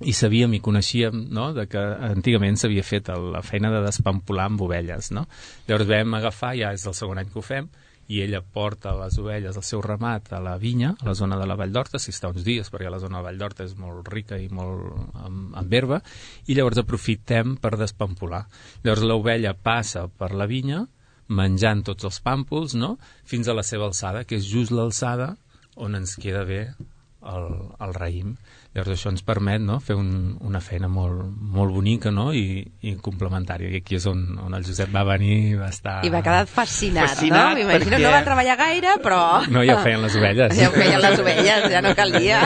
i sabíem i coneixíem, no?, de que antigament s'havia fet la feina de despampolar amb ovelles, no? Llavors vam agafar, ja és el segon any que ho fem, i ella porta les ovelles, el seu ramat, a la vinya, a la zona de la Vall d'Horta, si està uns dies, perquè la zona de la Vall d'Horta és molt rica i molt amb herba, i llavors aprofitem per despampolar. Llavors l'ovella passa per la vinya, menjant tots els pàmpols, no?, fins a la seva alçada, que és just l'alçada on ens queda bé el raïm. Llavors això ens permet, no?, fer una feina molt bonica, no?, i complementària. I aquí és on el Josep va venir, va estar... I va quedar fascinat, no? M'imagino, perquè... no va treballar gaire, però... No, ja ho feien les ovelles. Ja ho feien les ovelles, ja no calia.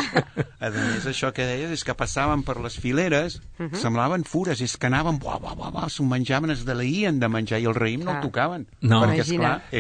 A més, això que deies és que passaven per les fileres, semblaven fures, és que anaven, s'ho menjaven, es deleïen de menjar, i el raïm no el tocaven. No, perquè,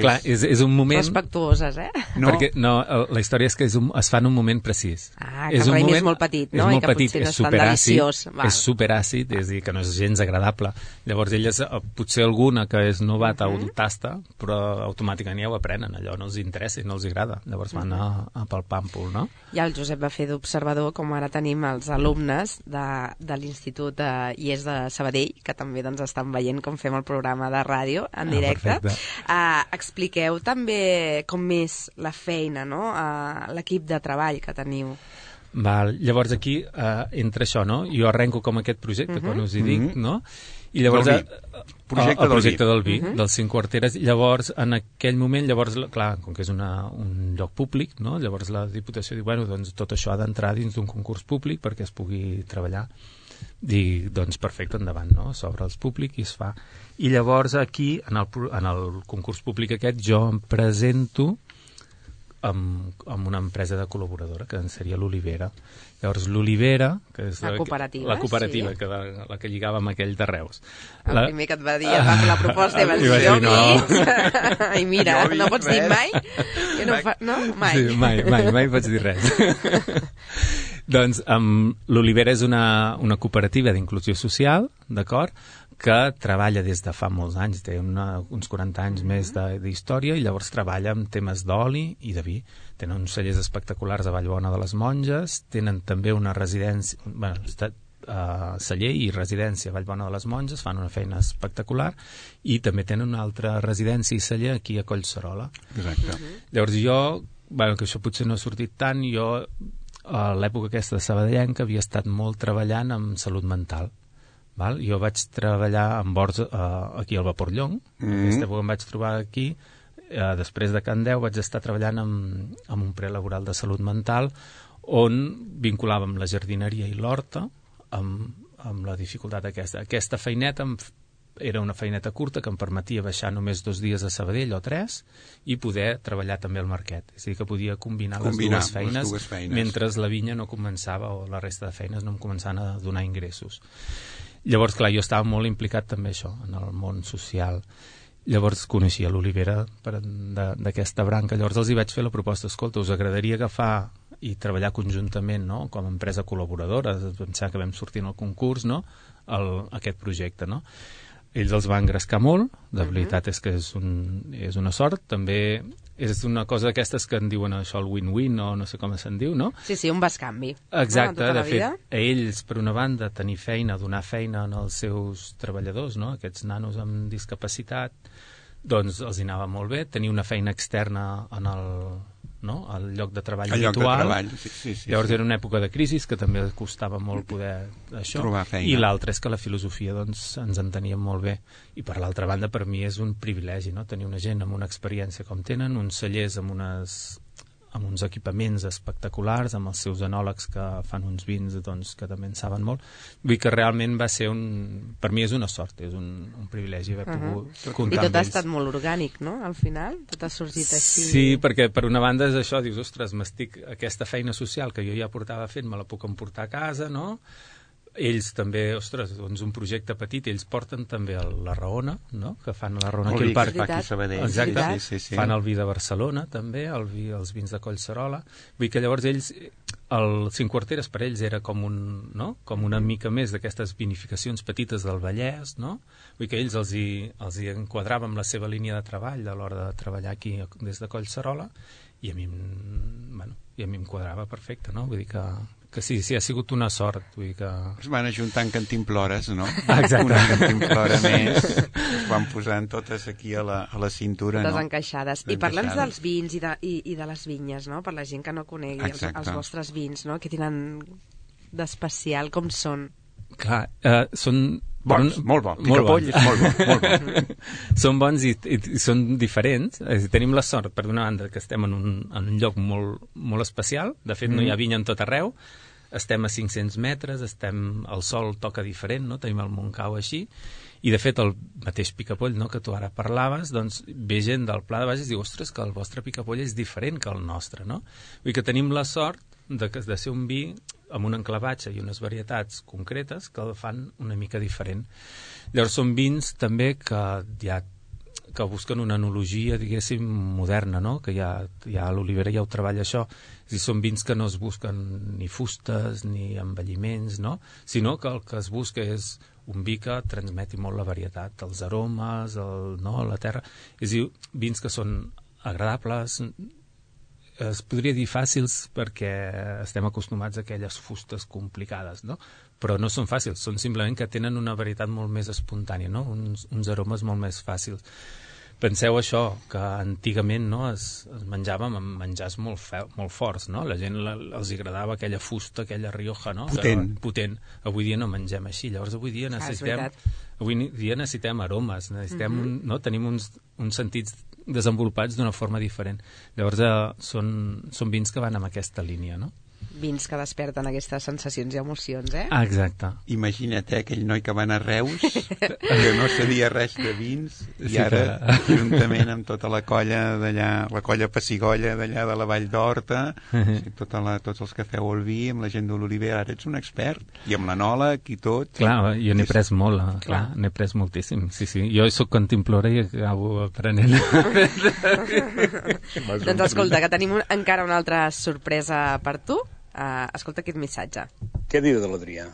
clar, és un moment... Respectuoses, No. Perquè la història és que es fa en un moment precís. Que el raïm és molt petit, no? És molt I que petit, potser no és és tan deliciós. és superàcid, és a dir, que no és gens agradable. Llavors elles, potser alguna que és novata ho tasta, però automàticament ja ho aprenen, allò no els interessa i no els agrada. Llavors van a pel pàmpol, no? Ja el Josep va fer d'observador, com ara tenim els alumnes de l'Institut IES de Sabadell, que també doncs, estan veient com fem el programa de ràdio en directe. Expliqueu també com és la feina, no? L'equip de treball que teniu. Val. Llavors aquí entra això, no? Jo arrenco com aquest projecte, quan us hi dic, no? I llavors el projecte del vi, dels 5 quarteres. Llavors, en aquell moment, clar, com que és un lloc públic, no? Llavors la Diputació diu, bueno, doncs tot això ha d'entrar dins d'un concurs públic perquè es pugui treballar. Dic, doncs perfecte, endavant, no? S'obre els públic i es fa. I llavors aquí, en el concurs públic aquest, jo em presento amb una empresa de col·laboradora, que seria l'Olivera. Llavors l'Olivera, que és la cooperativa, sí. Que la que lligava amb aquell de Reus. El primer que et va dir, et va fer la proposta i vas dir, jo no. I mira, no pots dir mai? No, mai. Sí, mai pots dir res. Doncs l'Olivera és una cooperativa d'inclusió social, d'acord?, que treballa des de fa molts anys, té uns 40 anys més d'història, i llavors treballa amb temes d'oli i de vi. Tenen uns cellers espectaculars a Vallbona de les Monges, tenen també una residència, celler i residència a Vallbona de les Monges, fan una feina espectacular, i també tenen una altra residència i celler aquí a Collserola. Exacte. Llavors jo, que això potser no ha sortit tant, jo a l'època aquesta de sabadellenca havia estat molt treballant amb salut mental. Jo vaig treballar amb horts aquí al Vapor Llong, aquesta època em vaig trobar aquí, després de Can Deu vaig estar treballant amb un prelaboral de salut mental on vinculàvem la jardineria i l'horta amb la dificultat aquesta. Aquesta feineta era una feineta curta que em permetia baixar només 2 dies a Sabadell o 3 i poder treballar també al Marquet. És a dir, que podia combinar les dues feines mentre la vinya no començava, o la resta de feines no em començaven a donar ingressos. Llavors, clar, jo estava molt implicat també això, en el món social. Llavors coneixia l'Olivera d'aquesta branca. Llavors els hi vaig fer la proposta, escolta, us agradaria agafar i treballar conjuntament, no?, com a empresa col·laboradora, pensar que vam sortir en el concurs, no?, aquest projecte, no? Ells els van engrescar molt, de veritat és que és una sort, també és una cosa d'aquestes que en diuen això el win-win, o no sé com se'n diu, no? Sí, un bescanvi. Exacte, de fet, a ells, per una banda, tenir feina, donar feina als seus treballadors, no?, aquests nanos amb discapacitat, doncs els hi anava molt bé, tenir una feina externa en no? El lloc de treball el habitual. Lloc de treball, sí. Llavors era una època de crisi que també costava molt poder això. Trobar feina. I l'altre és que la filosofia doncs, ens enteníem molt bé. I per l'altra banda, per mi és un privilegi, no? Tenir una gent amb una experiència com tenen, uns cellers amb uns equipaments espectaculars, amb els seus enòlegs que fan uns vins doncs, que també en saben molt. Vull dir que realment va ser per mi és una sort, és un privilegi haver pogut comptar I tot amb ha ells. estat molt orgànic, no? Al final, tot ha sorgit així. Sí, perquè per una banda és això, dius, ostres, aquesta feina social que jo ja portava fent, me la puc emportar a casa, no? Ells també, ostres, doncs un projecte petit, ells porten també la Raona, no? Que fan la Raona aquí al parc. Aquí a Sabadell. Exacte, sí. Fan el vi de Barcelona també, els vins de Collserola. Vull dir que llavors ells, el Cinc Quarteres per ells era com una mica més d'aquestes vinificacions petites del Vallès, no? Vull dir que ells els hi enquadrava amb la seva línia de treball a l'hora de treballar aquí des de Collserola, i a mi em quadrava perfecte, no? Vull dir que sí, ha sigut una sort. Vull dir que... Es van ajuntant cantimplores, no? Exacte. Una cantimplora més, es van posant totes aquí a la cintura, totes no? encaixades. I parla'ns dels vins i de les vinyes, no? Per la gent que no conegui els vostres vins, no? Què tenen d'especial, com són? Clar, són... Bons, molt bons. Picapoll és molt bo. Són bons i són diferents. Tenim la sort, per una banda, que estem en un lloc molt, molt especial. De fet, no hi ha vinya en tot arreu. Estem a 500 metres, el sol toca diferent, no? Tenim el Montcau així. I, de fet, el mateix picapoll, no?, que tu ara parlaves, doncs ve gent del Pla de Bages i diu, ostres, que el vostre picapoll és diferent que el nostre, no? Vull dir que tenim la sort de ser un vi amb un enclavatge i unes varietats concretes que el fan una mica diferent. Llavors són vins també que busquen una enologia, diguéssim, moderna, no? Que ja l'Olivera ja ho treballa això. És a dir, són vins que no es busquen ni fustes ni envelliments, no? Sinó que el que es busca és un vi que transmeti molt la varietat, els aromes, la terra. És a dir, vins que són agradables, es podria dir fàcils perquè estem acostumats a aquelles fustes complicades, no? Però no són fàcils, són simplement que tenen una varietat molt més espontània, no? Uns aromes molt més fàcils. Penseu això, que antigament, no, es menjava amb menjars molt forts, no? La gent els agradava aquella fusta, aquella Rioja, no? Potent. Avui dia no mengem així, llavors avui dia necessitem aromes, no? Tenim uns sentits desenvolupats d'una forma diferent. Llavors són vins que van en aquesta línia, no? Vins que desperten aquestes sensacions i emocions, eh? Ah, exacte. Imagina't, aquell noi que va anar a Reus, que no sabia res de vins, i ara, juntament amb tota la colla d'allà, la colla Pessigolla d'allà de la Vall d'Horta, tots els que feu el vi, amb la gent de l'Olivera, ara ets un expert, i amb l'enòleg i tot. Clar, jo n'he pres molt, n'he pres moltíssim, sí. Jo soc cantimplora i acabo aprenent. Doncs escolta, que tenim encara una altra sorpresa per tu. Escolta aquest missatge. Què dir de l'Adrià?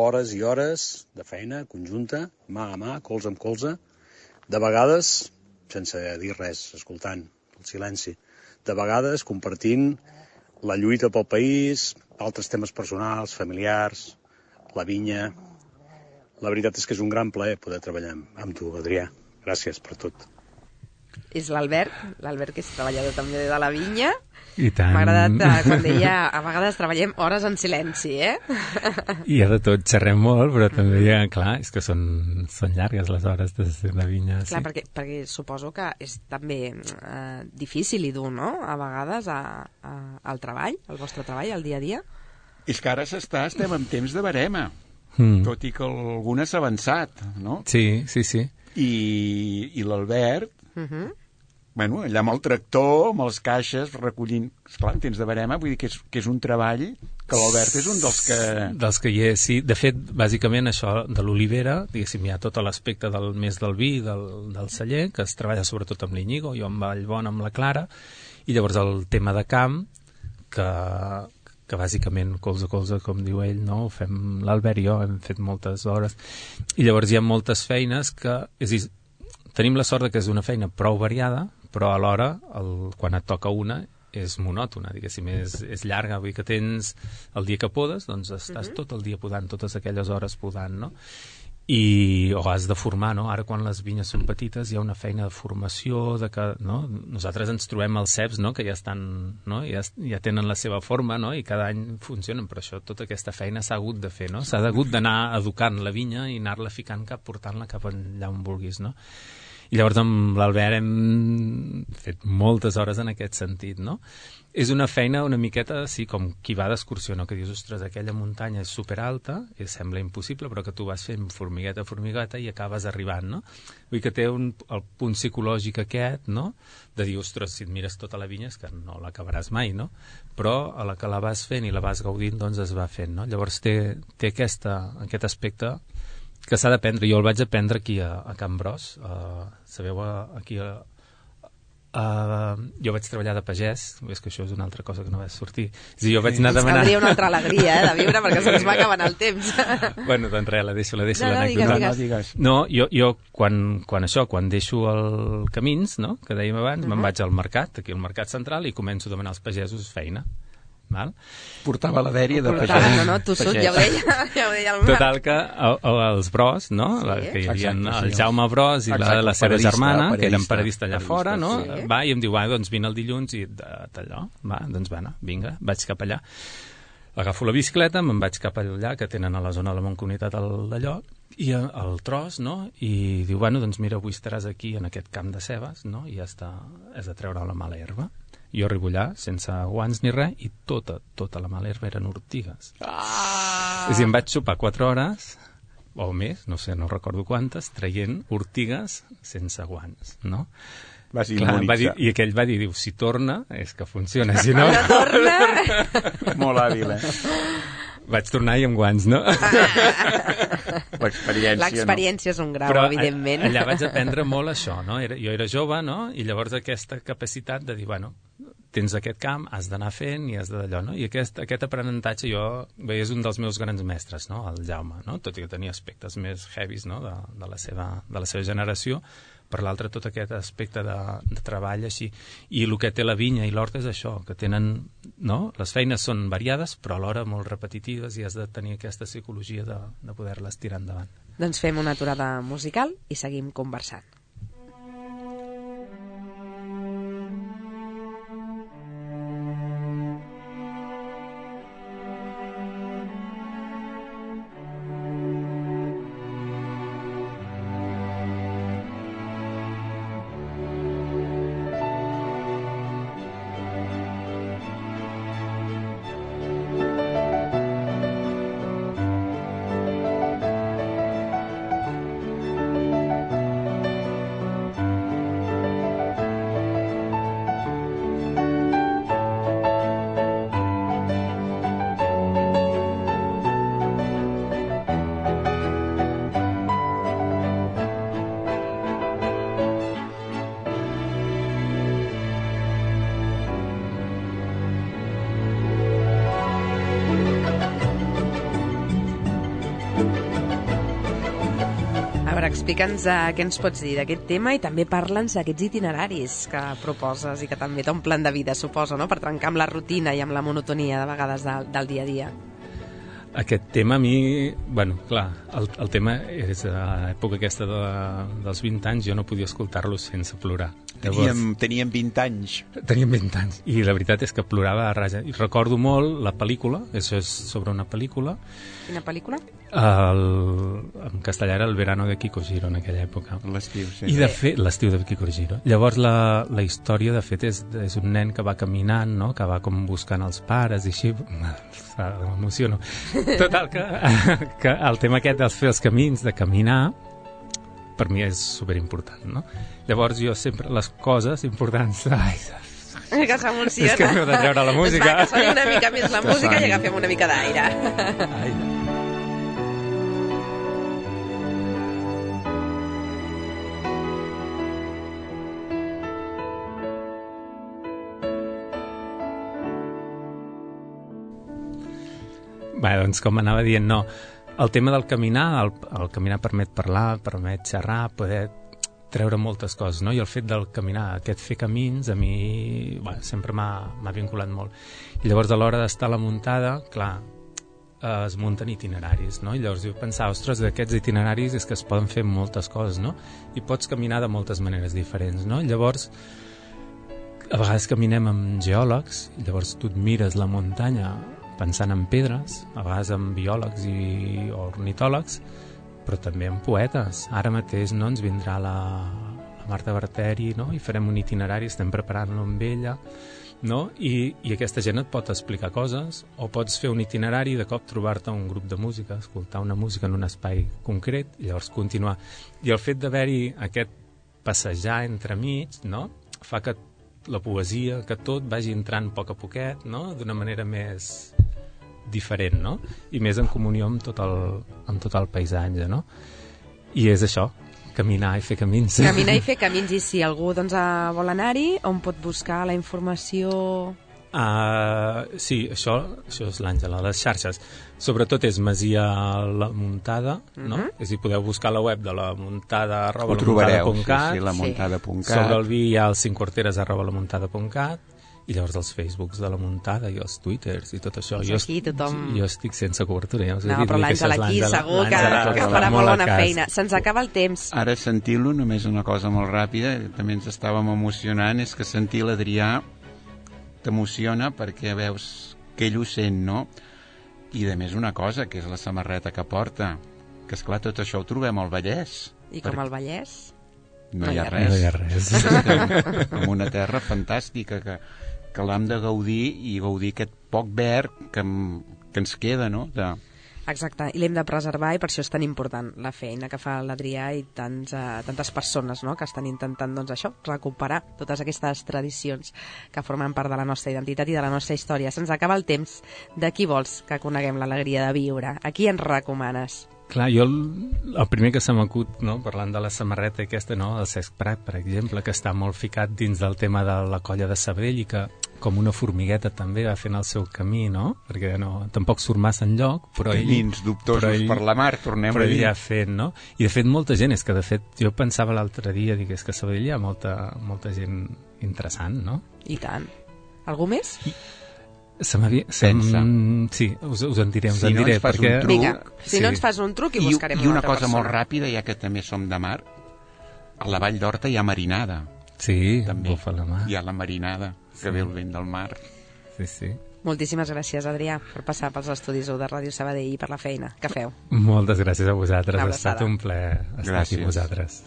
Hores i hores de feina conjunta, mà a mà, colze amb colze, de vegades, sense dir res, escoltant el silenci, de vegades compartint la lluita pel país, altres temes personals, familiars, la vinya. La veritat és que és un gran plaer poder treballar amb tu, Adrià. Gràcies per tot. És l'Albert que és treballador també de la vinya. I tant. M'ha agradat quan deia a vegades treballem hores en silenci, eh? I de tot xerrem molt, però també clar, és que són llargues les hores de vinya. Clar, perquè suposo que és també difícil i dur, no?, a vegades al treball, al vostre treball, al dia a dia. És que ara estem en temps de barema, tot i que alguna s'ha avançat, no? Sí. I l'Albert, allà amb el tractor, amb els caixes, recollint... Esclar, en temps de barema, vull dir que és un treball que l'Albert és un dels que... Dels que hi és, sí. De fet, bàsicament això de l'Olivera, diguéssim, hi ha tot l'aspecte més del vi, del celler, que es treballa sobretot amb l'Iñigo, jo amb Vallbona, amb la Clara, i llavors el tema de camp, que bàsicament colze a colze, com diu ell, no? Ho fem l'Albert i jo, hem fet moltes hores, i llavors hi ha moltes feines que... És a dir, tenim la sort que és una feina prou variada, però alhora, quan et toca una, és monòtona, diguéssim, és llarga, vull dir que tens el dia que podes, doncs estàs tot el dia podant, totes aquelles hores podant, no? o has de formar, no? Ara quan les vinyes són petites hi ha una feina de formació, no? Nosaltres ens trobem els ceps, no? Que ja estan, no? Ja tenen la seva forma, no? I cada any funcionen, però això, tota aquesta feina s'ha hagut de fer, no? S'ha hagut d'anar educant la vinya i anar-la ficant portant-la cap allà on vulguis, no? I llavors amb l'Albert hem fet moltes hores en aquest sentit, no? És una feina una miqueta, sí, com qui va d'excursió, no? Que dius, ostres, aquella muntanya és superalta, i sembla impossible, però que tu vas fent formigueta a formigueta i acabes arribant, no? Vull dir que té el punt psicològic aquest, no? De dir, ostres, si et mires tota la vinya és que no l'acabaràs mai, no? Però a la que la vas fent i la vas gaudint, doncs es va fent, no? Llavors té aquest aspecte que s'ha d'aprendre. Jo el vaig aprendre aquí a Can Bros. Sabeu, aquí jo vaig treballar de pagès, és que això és una altra cosa que no va sortir. És a dir, jo vaig anar a demanar... Caldria una altra alegria, de viure, perquè se'ns va acabant el temps. Bueno, doncs res, la deixo No, l'anècdota. digues. No, jo quan deixo el Camins, no?, que dèiem abans, me'n vaig al mercat, aquí al Mercat Central, i començo a demanar als pagesos feina. Val? Portava la dèria de Portava, pagès. no, tossut, ja ho deia el Marc. Total que els Bros, no? Que hi havia el Jaume Bros i la seva germana, que eren paradista allà fora, no? Va, i em diu, doncs vine el dilluns i d'allò. Va, doncs va, vinga, vaig cap allà. Agafo la bicicleta, me'n vaig cap allà, que tenen a la zona de la Mancomunitat d'allò, i el tros, no? I diu, doncs mira, avui estaràs aquí en aquest camp de cebes, no? I ja està, has de treure la mala herba. Jo arribo allà sense guants ni res i tota la mala herba eren ortigues. És a dir, em vaig sopar 4 hores o més, no sé, no recordo quantes, traient ortigues sense guants, no? Vas immonitzar. I aquell va dir, si torna, és que funciona, si no... Molt hàbil, Vaig tornar i amb guants, no? L'experiència és un grau, evidentment. Allà vaig aprendre molt això, no? Jo era jove, no? I llavors aquesta capacitat de dir, tens aquest camp, has d'anar fent i has d'allò, no? I aquest aprenentatge és un dels meus grans mestres, no? El Jaume, no? Tot i que tenia aspectes més heavies, no? De la seva generació, per l'altre tot aquest aspecte de treball així. I el que té la vinya i l'horta és això, que tenen, no? Les feines són variades, però alhora molt repetitives i has de tenir aquesta psicologia de poder-les tirar endavant. Doncs fem una aturada musical i seguim conversant. Explica'ns què ens pots dir d'aquest tema i també parla'ns d'aquests itineraris que proposes i que també t'omplen de vida, suposo, no? Per trencar amb la rutina i amb la monotonia de vegades del dia a dia. Aquest tema a mi, clar, el tema és a l'època aquesta dels 20 anys, jo no podia escoltar-lo sense plorar. Teníem 20 anys. Teníem 20 anys, i la veritat és que plorava a raja. I recordo molt la pel·lícula, això és sobre una pel·lícula. Quina pel·lícula? En castellà era El verano de Kiko Giro en aquella època. L'estiu, sí. I de fet, l'estiu de Kiko Giro. Llavors la història, de fet, és un nen que va caminant, no? Que va com buscant els pares i així. M'emociono. Total, que el tema aquest dels fer els camins, de caminar, per mi és superimportant, no? Llavors jo sempre les coses importants... Que s'emociona. És que m'heu de treure la música. Va, que soni una mica més la música i agafem una mica d'aire. Doncs com anava dient, no. El tema del caminar, el caminar permet parlar, permet xerrar, poder treure moltes coses, no? I el fet del caminar, aquest fer camins, a mi sempre m'ha vinculat molt. I llavors, a l'hora d'estar a la muntada, clar, es munten itineraris, no? I llavors jo pensava, ostres, d'aquests itineraris és que es poden fer moltes coses, no? I pots caminar de moltes maneres diferents, no? Llavors, a vegades caminem amb geòlegs, i llavors tu et mires la muntanya pensant en pedres, a vegades amb biòlegs i ornitòlegs, però també amb poetes. Ara mateix no ens vindrà la Marta Barteri, no? I farem un itinerari, estem preparant-lo amb ella, no? I aquesta gent et pot explicar coses, o pots fer un itinerari, de cop trobar-te un grup de música, escoltar una música en un espai concret, i llavors continuar. I el fet d'haver-hi aquest passejar entremig, no? Fa que la poesia, que tot vagi entrant a poc a poquet, no? D'una manera més diferent, no? I més en comunió amb tot el paisatge, no? I és això, caminar i fer camins. Caminar i fer camins, i si algú doncs, vol anar-hi, on pot buscar la informació? Sí, això és l'Àngela, les xarxes. Sobretot és Masia La Muntada, no? És a dir, podeu buscar la web de La Muntada ho trobareu, lamuntada.cat. sí, lamuntada.cat. Sobre el vi hi ha el 5quarteres@lamuntada.cat, i llavors els Facebooks de La Muntada i els Twitters i tot això. Jo estic sense cobertura. Ja no, però l'Àngela aquí segur que farà molt bona feina. Se'ns acaba el temps. Ara sentint-lo, només una cosa molt ràpida, també ens estàvem emocionant, és que sentir l'Adrià t'emociona perquè veus que ell ho sent, no? I de més una cosa, que és la samarreta que porta, que esclar, tot això ho trobem al Vallès. I com al Vallès? No hi ha res. No hi ha res. En una terra fantàstica que l'hem de gaudir, i gaudir aquest poc verd que ens queda, no? Exacte, i l'hem de preservar, i per això és tan important la feina que fa l'Adrià i tantes persones, no?, que estan intentant, doncs, això, recuperar totes aquestes tradicions que formen part de la nostra identitat i de la nostra història. Se'ns acaba el temps. De qui vols que coneguem l'alegria de viure? A qui ens recomanes? Clar, jo el primer que se m'acut, no, parlant de la samarreta aquesta, no, el Cesc Prat, per exemple, que està molt ficat dins del tema de la colla de Sabadell i que com una formigueta també va fent el seu camí, no? Perquè tampoc surt massa enlloc, però ell... Camins dubtosos per la mar, tornem a dir. Però ell ja ha fet, no? I de fet molta gent, és que de fet jo pensava l'altre dia, és que a Sabadell hi ha molta gent interessant, no? I tant. Algú més? Pensa. Sí, us en diré, si no ens fas un truc... Vinga, si no ens fas un truc i buscarem una altra persona. I una cosa molt ràpida, ja que també som de mar, a la Vall d'Horta hi ha marinada. Sí, també bufa la mar. Hi ha la marinada, que ve el vent del mar. Sí, sí. Moltíssimes gràcies, Adrià, per passar pels estudis de Ràdio Sabadell i per la feina que feu. Moltes gràcies a vosaltres, ha estat un plaer estar aquí amb vosaltres.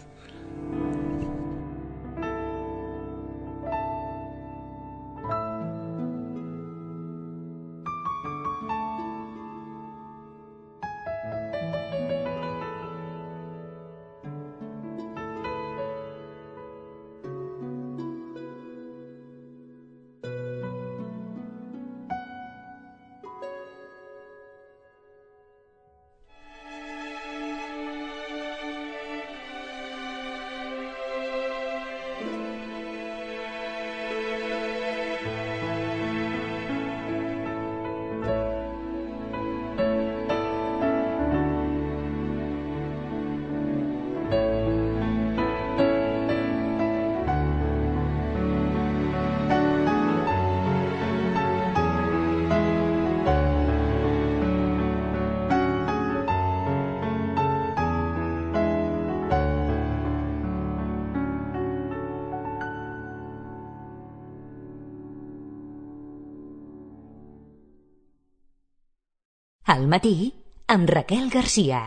Al matí, amb Raquel Garcia.